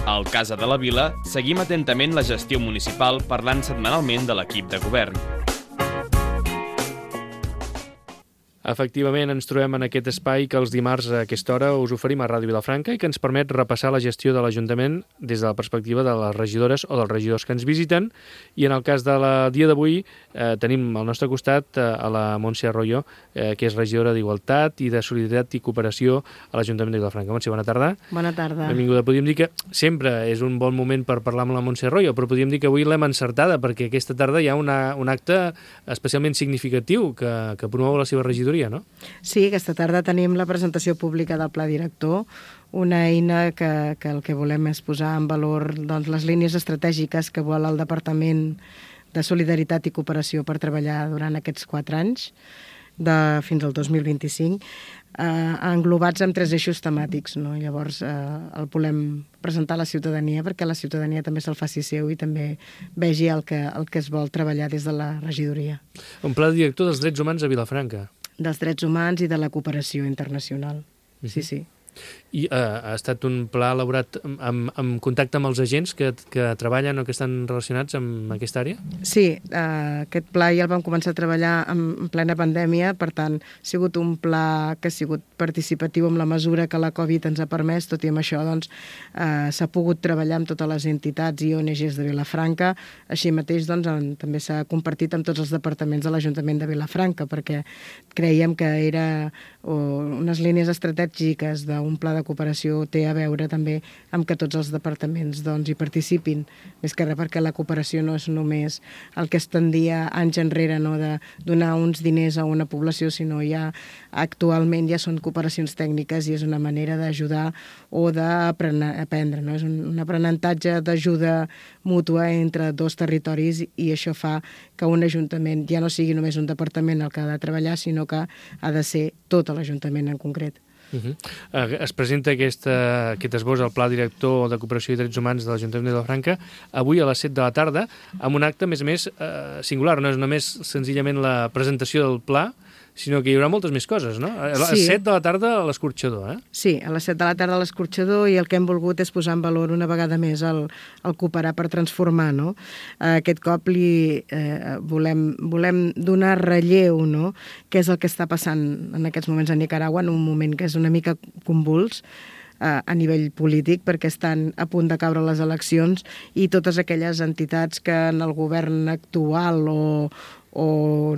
Al Casa de la Vila seguim atentament la gestió municipal parlant setmanalment de l'equip de govern. Efectivament, ens trobem en aquest espai que els dimarts a aquesta hora us oferim a Ràdio Vilafranca i que ens permet repassar la gestió de l'Ajuntament des de la perspectiva de les regidores o dels regidors que ens visiten. I en el cas del dia d'avui tenim al nostre costat a la Montse Arroyo, que és regidora d'Igualtat i de Solidaritat i Cooperació a l'Ajuntament de Vilafranca. Montse, bona tarda. Bona tarda. Benvinguda. Podríem dir que sempre és un bon moment per parlar amb la Montse Arroyo, però podríem dir que avui l'hem encertada perquè aquesta tarda hi ha un acte especialment significatiu que promou la seva regidoria. No? Sí, aquesta tarda tenim la presentació pública del Pla Director, una eina que el que volem és posar en valor doncs, les línies estratègiques que vol el Departament de Solidaritat i Cooperació per treballar durant aquests 4 anys, fins al 2025, englobats en 3 eixos temàtics. No? Llavors el volem presentar a la ciutadania perquè la ciutadania també se'l faci seu i també vegi el que es vol treballar des de la regidoria. Un pla director dels drets humans a Vilafranca. Dels drets humans i de la cooperació internacional. Sí, sí. I ha estat un pla elaborat en contacte amb els agents que treballen o que estan relacionats amb aquesta àrea? Sí, aquest pla ja el vam començar a treballar en plena pandèmia, per tant, ha sigut un pla que ha sigut participatiu amb la mesura que la Covid ens ha permès, tot i amb això doncs, s'ha pogut treballar amb totes les entitats i ONGs de Vilafranca, així mateix doncs, també s'ha compartit amb tots els departaments de l'Ajuntament de Vilafranca, perquè creiem que era unes línies estratègiques d'un pla de cooperació té a veure també amb que tots els departaments doncs, hi participin. Més que res perquè la cooperació no és només el que es tendia anys enrere, no, de donar uns diners a una població, sinó ja actualment ja són cooperacions tècniques i és una manera d'ajudar o d'aprendre. No? És un aprenentatge d'ajuda mútua entre 2 territoris i això fa que un ajuntament ja no sigui només un departament el que ha de treballar, sinó que ha de ser tot l'Ajuntament en concret. Es presenta aquest esbós al Pla Director de Cooperació i Drets Humans de l'Ajuntament de Vilafranca avui a les 7 de la tarda amb un acte, a més singular. No és només senzillament la presentació del pla, sinó que hi haurà moltes més coses, no? A les 7 de la tarda a l'Escorxador, eh? Sí, a les 7 de la tarda a l'Escorxador, i el que hem volgut és posar en valor una vegada més el cooperar per transformar, no? Aquest cop volem donar relleu, no?, què és el que està passant en aquests moments a Nicaragua, en un moment que és una mica convuls a nivell polític, perquè estan a punt de caure les eleccions i totes aquelles entitats que en el govern actual o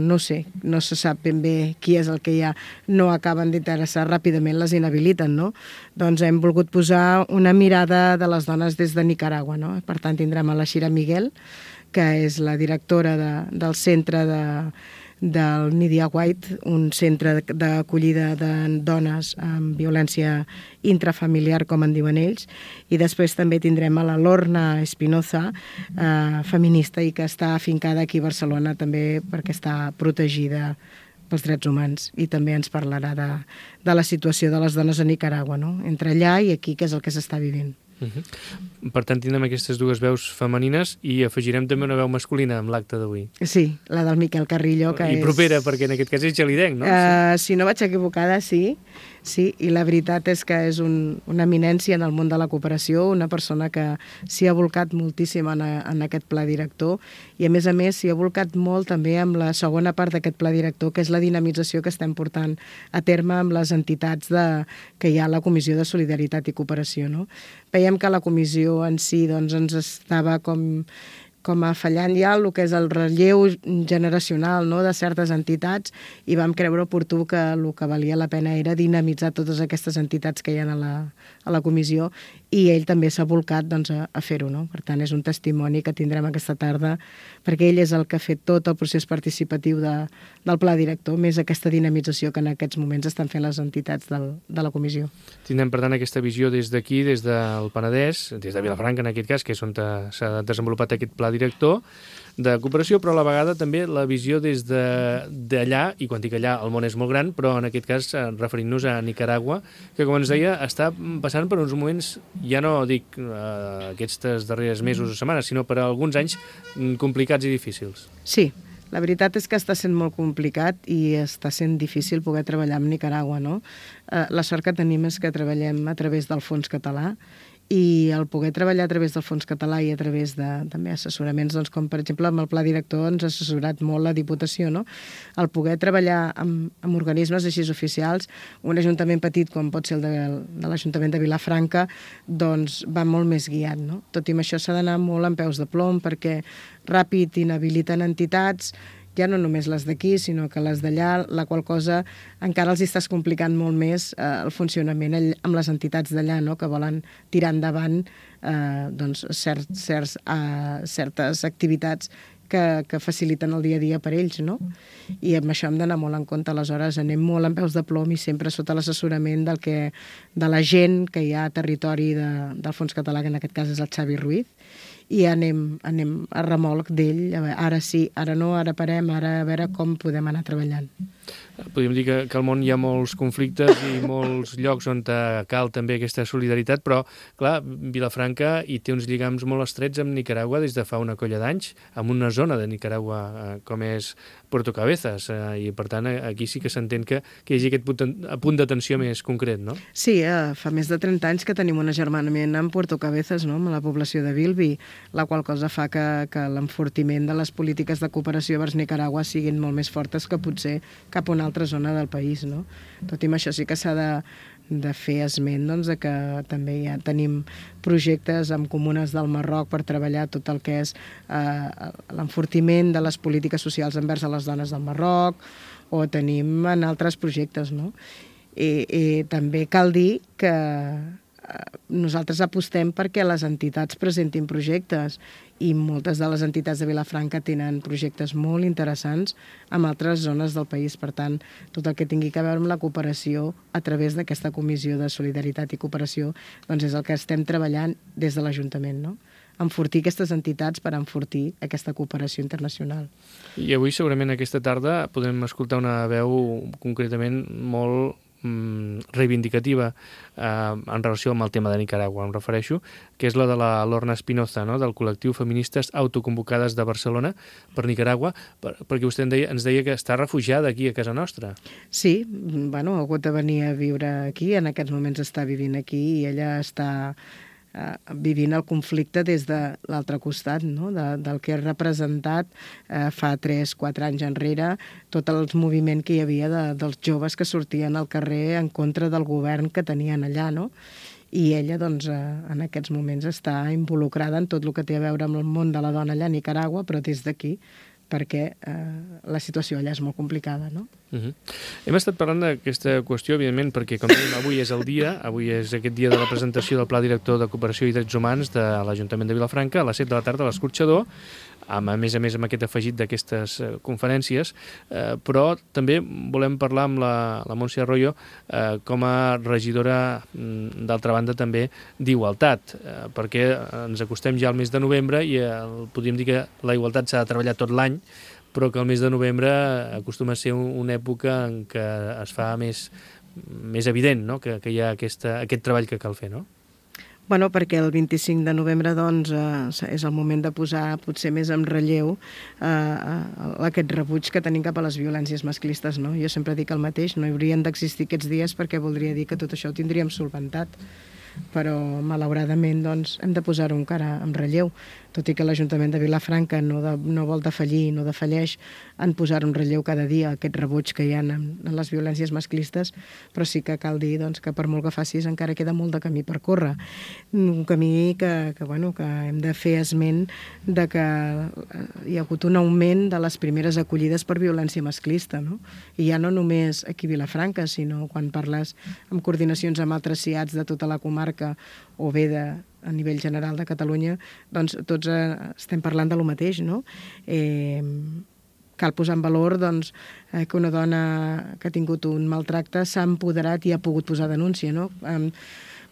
no sé, no se sap ben bé qui és el que ja no acaben d'interessar, ràpidament les inhabiliten, no? Doncs hem volgut posar una mirada de les dones des de Nicaragua, no? Per tant, tindrem a la Shira Miguel, que és la directora del centre del Nidia White, un centre d'acollida de dones amb violència intrafamiliar, com en diuen ells, i després també tindrem a la Lorna Espinoza, feminista, i que està afincada aquí a Barcelona també perquè està protegida pels drets humans, i també ens parlarà de la situació de les dones a Nicaragua, no? Entre allà i aquí, que és el que s'està vivint. Per tant, tindrem aquestes 2 veus femenines i afegirem també una veu masculina amb l'acte d'avui. Sí, la del Miquel Carrillo, que I propera, perquè en aquest cas és gelidenc, no? Si no vaig equivocada, sí, i la veritat és que és una eminència en el món de la cooperació, una persona que s'hi ha volcat moltíssim en aquest pla director, i a més s'hi ha volcat molt també amb la segona part d'aquest pla director, que és la dinamització que estem portant a terme amb les entitats que hi ha a la Comissió de Solidaritat i Cooperació, no? Veiem que la comissió en si doncs, ens estava com a fallant ja el que és el relleu generacional, no?, de certes entitats, i vam creure oportú que el que valia la pena era dinamitzar totes aquestes entitats que hi ha a la comissió, i ell també s'ha volcat doncs, a fer-ho, no? Per tant, és un testimoni que tindrem aquesta tarda, perquè ell és el que ha fet tot el procés participatiu del pla director, més aquesta dinamització que en aquests moments estan fent les entitats de la comissió. Tindrem, per tant, aquesta visió des d'aquí, des del Penedès, des de Vilafranca, en aquest cas, que és on s'ha desenvolupat aquest pla director de cooperació, però a la vegada també la visió des d'allà, i quan dic allà el món és molt gran, però en aquest cas referint-nos a Nicaragua, que com ens deia està passant per uns moments, ja no dic aquests darrers mesos o setmanes, sinó per alguns anys complicats i difícils. Sí, la veritat és que està sent molt complicat i està sent difícil poder treballar amb Nicaragua, no? La sort que tenim és que treballem a través del Fons Català i el poder treballar a través del Fons Català i a través de també assessoraments, doncs, com per exemple amb el Pla Director ens ha assessorat molt la Diputació, no? El poder treballar amb organismes així oficials, un ajuntament petit com pot ser el de l'Ajuntament de Vilafranca, doncs va molt més guiat, no? Tot i amb això s'ha d'anar molt amb peus de plom perquè ràpid inhabiliten entitats, ja no només les d'aquí, sinó que les d'allà, la qual cosa encara els estàs complicant molt més el funcionament amb les entitats d'allà, no? Que volen tirar endavant doncs, certes activitats que faciliten el dia a dia per ells, no? I amb això hem d'anar molt en compte. Aleshores anem molt amb peus de plom i sempre sota l'assessorament de la gent que hi ha a territori del Fons Català, que en aquest cas és el Xavi Ruiz, i anem a remolc d'ell, ara sí, ara no, ara parem, ara a veure com podem anar treballant. Podríem dir que al món hi ha molts conflictes i molts llocs on cal també aquesta solidaritat, però, clar, Vilafranca hi té uns lligams molt estrets amb Nicaragua des de fa una colla d'anys, amb una zona de Nicaragua com és Puerto Cabezas, i per tant aquí sí que s'entén que hi hagi aquest punt d'atenció més concret, no? Sí, fa més de 30 anys que tenim un agermanament amb Puerto Cabezas, no? Amb la població de Bilbi, la qual cosa fa que l'enfortiment de les polítiques de cooperació vers Nicaragua siguin molt més fortes que potser cap a una altra zona del país, no? Tot i amb això sí que s'ha de fer esment, doncs, de que també ja tenim projectes amb comunes del Marroc per treballar tot el que és l'enfortiment de les polítiques socials envers a les dones del Marroc, o tenim en altres projectes, no? I també cal dir que nosaltres apostem perquè les entitats presentin projectes i moltes de les entitats de Vilafranca tenen projectes molt interessants en altres zones del país. Per tant, tot el que tingui a veure amb la cooperació a través d'aquesta Comissió de Solidaritat i Cooperació doncs és el que estem treballant des de l'Ajuntament, no? Enfortir aquestes entitats per enfortir aquesta cooperació internacional. I avui segurament aquesta tarda podem escoltar una veu concretament molt reivindicativa en relació amb el tema de Nicaragua, em refereixo, que és la de la Lorna Espinoza, no? Del col·lectiu Feministes Autoconvocades de Barcelona per Nicaragua, perquè vostè ens deia que està refugiada aquí a casa nostra. Sí, bueno, ha hagut de venir a viure aquí, en aquests moments està vivint aquí i ella està vivint el conflicte des de l'altre costat, no? Del que ha representat fa 3-4 anys enrere tot el moviment que hi havia dels joves que sortien al carrer en contra del govern que tenien allà, no? I ella, doncs, en aquests moments està involucrada en tot el que té a veure amb el món de la dona allà a Nicaragua, però des d'aquí, perquè la situació allà és molt complicada, no? Hem estat parlant d'aquesta qüestió, evidentment, perquè, com dèiem, avui és el dia, avui és aquest dia de la presentació del Pla Director de Cooperació i Drets Humans de l'Ajuntament de Vilafranca, a les 7 de la tarda a l'Escorxador, a més amb aquest afegit d'aquestes conferències, però també volem parlar amb la Montse Arroyo com a regidora, d'altra banda, també d'Igualtat, perquè ens acostem ja al mes de novembre i podríem dir que la igualtat s'ha de treballar tot l'any, però que el mes de novembre acostuma a ser una època en què es fa més evident, no? Que hi ha aquest treball que cal fer, no? Bueno, perquè el 25 de novembre doncs, és el moment de posar potser més en relleu aquest rebuig que tenim cap a les violències masclistes, no? Jo sempre dic el mateix, no haurien d'existir aquests dies perquè voldria dir que tot això ho tindríem solventat, però malauradament doncs, hem de posar-ho encara en relleu, tot i que l'Ajuntament de Vilafranca no vol defallir, no defalleix en posar en relleu cada dia aquest rebuig que hi ha en les violències masclistes, però sí que cal dir doncs, que per molt que facis encara queda molt de camí per córrer. Un camí que hem de fer esment de que hi ha hagut un augment de les primeres acollides per violència masclista, no? I ja no només aquí a Vilafranca, sinó quan parles amb coordinacions amb altres CIATs de tota la comarca o bé a nivell general de Catalunya, doncs tots estem parlant de lo mateix, no? Cal posar en valor doncs, que una dona que ha tingut un maltracte s'ha empoderat i ha pogut posar denúncia, no?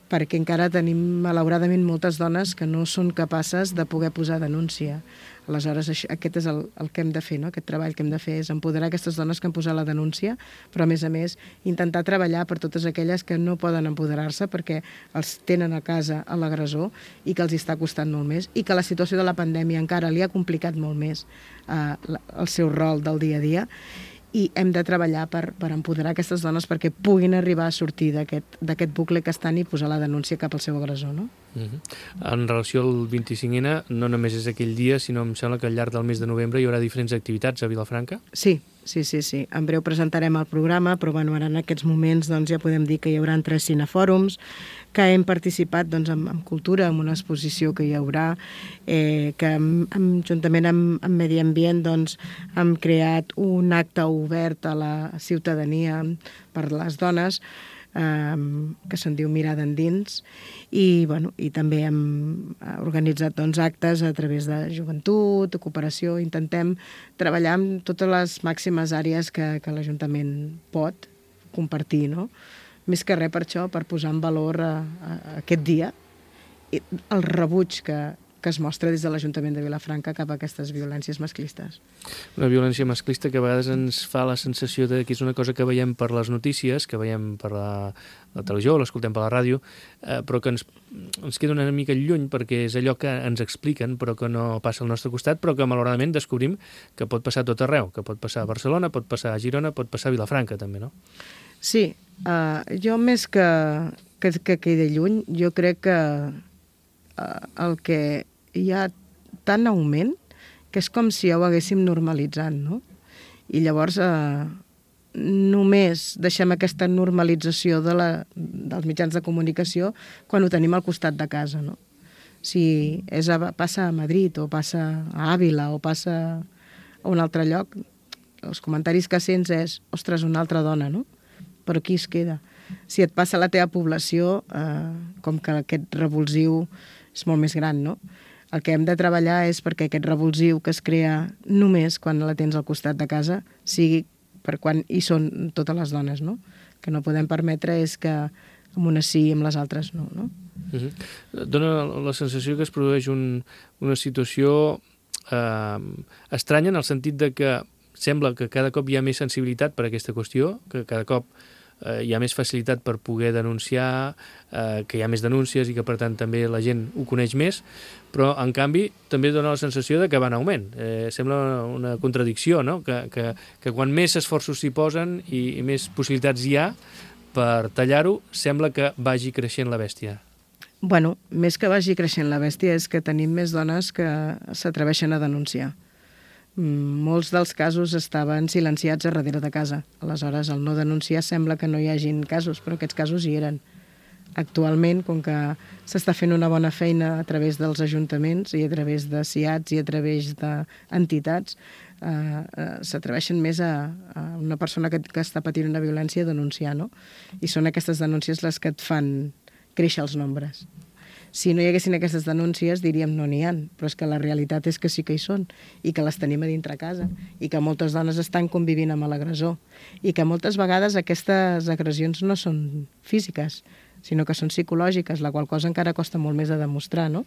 Perquè encara tenim, malauradament, moltes dones que no són capaces de poder posar denúncia. Aleshores, aquest és el que hem de fer, no? Aquest treball que hem de fer és empoderar aquestes dones que han posat la denúncia, però, a més, intentar treballar per totes aquelles que no poden empoderar-se perquè els tenen a casa a l'agressor i que els està costant molt més i que la situació de la pandèmia encara li ha complicat molt més el seu rol del dia a dia i hem de treballar per empoderar aquestes dones perquè puguin arribar a sortir d'aquest bucle que estan i posar la denúncia cap al seu agressor, no? En relació al 25N, no només és aquell dia, sinó em sembla que al llarg del mes de novembre hi haurà diferents activitats a Vilafranca? Sí. En breu presentarem el programa, però bueno, ara en aquests moments doncs, ja podem dir que hi haurà 3 cinefòrums, que hem participat doncs, en cultura, en una exposició que hi haurà, que juntament amb Medi Ambient doncs, hem creat un acte obert a la ciutadania per les dones, que se'n diu Mirada Endins, i també hem organitzat doncs, actes a través de joventut, de cooperació. Intentem treballar en totes les màximes àrees que l'Ajuntament pot compartir, no? Més que res per això, per posar en valor aquest dia el rebuig que es mostra des de l'Ajuntament de Vilafranca cap a aquestes violències masclistes. Una violència masclista que a vegades ens fa la sensació que és una cosa que veiem per les notícies, que veiem per la televisió o l'escoltem per la ràdio, però que ens queda una mica lluny perquè és allò que ens expliquen però que no passa al nostre costat, però que malauradament descobrim que pot passar a tot arreu, que pot passar a Barcelona, pot passar a Girona, pot passar a Vilafranca també, no? Sí, jo més que quedi lluny, jo crec que el que hi ha tant augment que és com si ja ho haguéssim normalitzat, no? I llavors només deixem aquesta normalització dels mitjans de comunicació quan ho tenim al costat de casa, no? Si passa a Madrid o passa a Àvila o passa a un altre lloc, els comentaris que sents és ostres, una altra dona, no? Però aquí es queda. Si et passa a la teva població, com que aquest revulsiu és molt més gran, no? El que hem de treballar és perquè aquest revulsiu que es crea només quan la tens al costat de casa sigui per quan hi són totes les dones, no? Que no podem permetre és que amb unes sí i amb les altres no, no? Dóna la sensació que es produeix una situació estranya en el sentit de que sembla que cada cop hi ha més sensibilitat per a aquesta qüestió, que cada cop hi ha més facilitat per poder denunciar, que hi ha més denúncies i que per tant també la gent ho coneix més, però en canvi també dona la sensació de que va en augment. Sembla una contradicció, no? Que quan més esforços s'hi posen i més possibilitats hi ha per tallar-ho, sembla que vagi creixent la bèstia. Bueno, més que vagi creixent la bèstia és que tenim més dones que s'atreveixen a denunciar. Molts dels casos estaven silenciats a darrere de casa. Aleshores, al no denunciar sembla que no hi hagin casos, però aquests casos hi eren. Actualment, com que s'està fent una bona feina a través dels ajuntaments i a través de CIATs i a través d'entitats, s'atreveixen més a una persona que està patint una violència a denunciar, no? I són aquestes denúncies les que et fan créixer els nombres. Si no hi haguessin aquestes denúncies, diríem no n'hi ha, però és que la realitat és que sí que hi són i que les tenim a dintre casa i que moltes dones estan convivint amb l'agressor i que moltes vegades aquestes agressions no són físiques, sinó que són psicològiques, la qual cosa encara costa molt més de demostrar, no?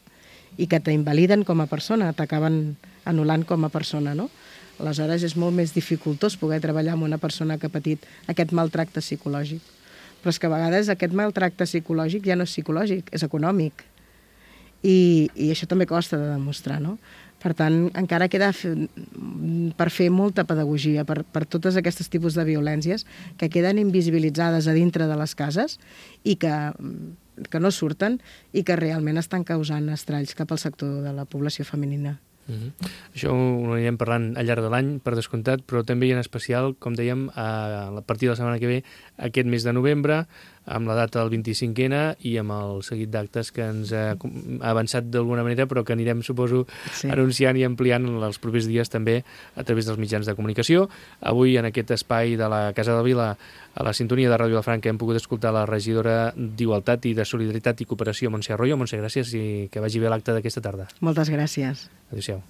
I que t'invaliden com a persona, t'acaben anul·lant com a persona, no? Aleshores és molt més dificultós poder treballar amb una persona que ha patit aquest maltracte psicològic. Però és que a vegades aquest maltracte psicològic ja no és psicològic, és econòmic. I això també costa de demostrar, no? Per tant, encara queda per fer molta pedagogia per totes aquests tipus de violències que queden invisibilitzades a dintre de les cases i que no surten i que realment estan causant estralls cap al sector de la població femenina. Això ho anirem parlant al llarg de l'any, per descomptat, però també i en especial, com dèiem, a partir de la setmana que ve, aquest mes de novembre, amb la data del 25N i amb el seguit d'actes que ens ha avançat d'alguna manera, però que anirem, suposo, anunciant i ampliant els propers dies també a través dels mitjans de comunicació. Avui, en aquest espai de la Casa de Vila, a la sintonia de Ràdio Vilafranca, hem pogut escoltar la regidora d'Igualtat i de Solidaritat i Cooperació, Montse Arroyo. Montse, gràcies i que vagi bé l'acte d'aquesta tarda. Moltes gràcies. Adéu-siau.